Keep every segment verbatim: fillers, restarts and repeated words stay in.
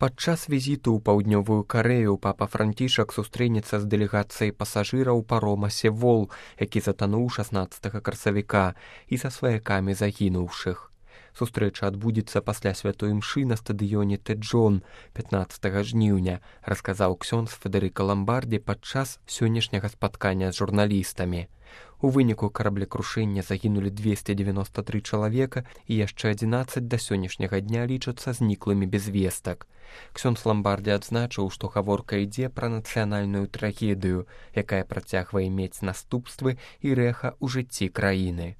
Падчас візіту ў паўднёвую Карэю папа Францішак сустрэнецца з дэлегацыяй пасажыраў парома «Севол», які затануў шаснаццатага красавіка, і са сваякамі загінуўшых. Сустрэча адбудзецца пасля святой імшы на стадыёне Тэджон пятнаццатага жніўня, расказаў ксёндз Федэрыка Ламбардзі падчас сённяшняга спаткання з журналістамі. У выніку караблекрушэння загінулі дзвесце дзевяноста тры чалавека і яшчэ адзінаццаць да сённяшняга дня лічацца зніклымі без вестак. Ксёндз Ламбардзі адзначыў, што гаворка ідзе пра нацыянальную трагедыю, якая працягвае мець наступствы і рэха ў жыцці краіны.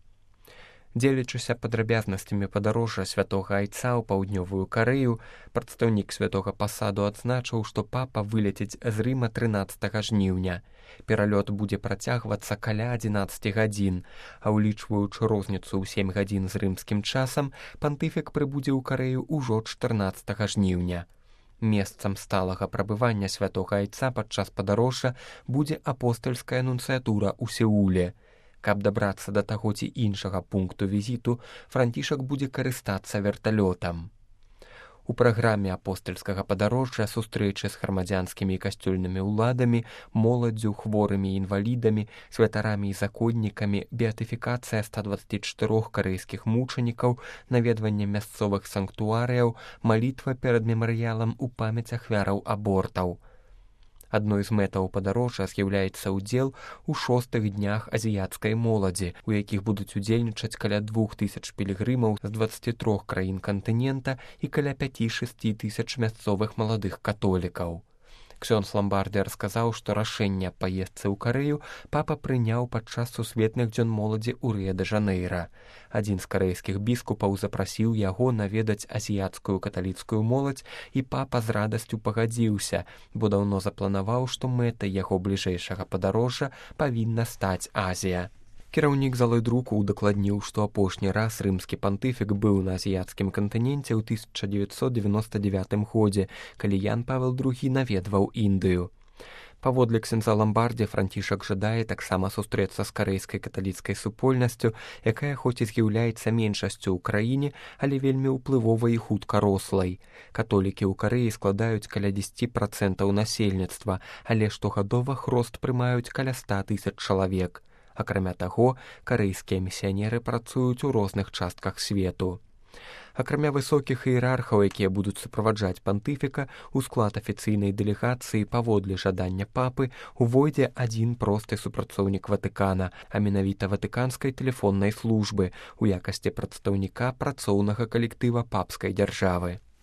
Дзелячыся падрабязнасцямі падарожжа святога айца ў паўднёвую Карэю, прадстаўнік святога пасаду адзначыў, што папа вылеціць з Рыма трынаццатага жніўня. Пералёт будзе працягвацца каля адзінаццаці гадзін, а ўлічваючы розніцу ў сем гадзін з рымскім часам, пантыфік прыбудзе ў Карэю ўжо чатырнаццатага жніўня. Месцам сталага прабывання святога айца падчас падарожжа будзе апостальская нунцыятура ў Сеуле. Каб дабрацца да таго ці іншага пункту візіту, Францішак будзе карыстацца верталётам. У праграме апостальскага падарожжа сустрэчы з грамадзянскімі і касцёльнымі ўладамі, моладдзю, хворымі і інвалідамі, святарамі і законнікамі, беатыфікацыя ста дваццаці чатырох карэйскіх мучанікаў, наведванне мясцовых санктуарыяў, малітва перад мемарыялам у памяць ахвяраў абортаў. Адной з мэтаў падарожжа з'яўляецца ўдзел у шостых днях азіяцкай моладзі, у якіх будуць удзельнічаць каля двух тысяч пілігрымаў з дваццаці трох краін кантынента і каля пяці-шасці тысяч мясцовых маладых католікаў. Ксёндз Ламбардзі расказаў, што рашэнне аб паездцы ў Карэю папа прыняў падчас сусветных дзён моладзі ў Рыа-дэ-Жанэйра. Адзін з карэйскіх біскупаў запрасіў яго наведаць азіяцкую каталіцкую моладзь, і папа з радасцю пагадзіўся, бо даўно запланаваў, што мэтай яго бліжэйшага падарожжа павінна стаць Азія. Кіраўнік залы друку удакладніў, што апошні раз рымскі пантыфік быў на азіяцкім кантыненце ў тысяча дзевяцьсот дзевяноста дзевятым годзе, калі Ян Павел другі наведваў Індыю. Паводле ксёндза Ламбардзі, Францішак жадае таксама сустрэцца з карэйскай каталіцкай супольнасцю, якая хоць і з'яўляецца меншасцю ў краіне, але вельмі ўплывовай і хутка рослай. Католікі ў Карэі складаюць каля дзесяці працэнтаў насельніцтва, але штогадова хрост прымаюць каля ста тысяч чалавек. Акрамя таго, карэйскія місіянеры працуюць у розных частках свету. Акрамя высокіх іерархаў, якія будуць суправаджаць пантыфіка, у склад афіцыйнай дэлегацыі паводле жадання папы увойдзе адзін просты супрацоўнік Ватыкана, а менавіта ватыканскай тэлефоннай службы, у якасці прадстаўніка працоўнага калектыва папскай дзяржавы.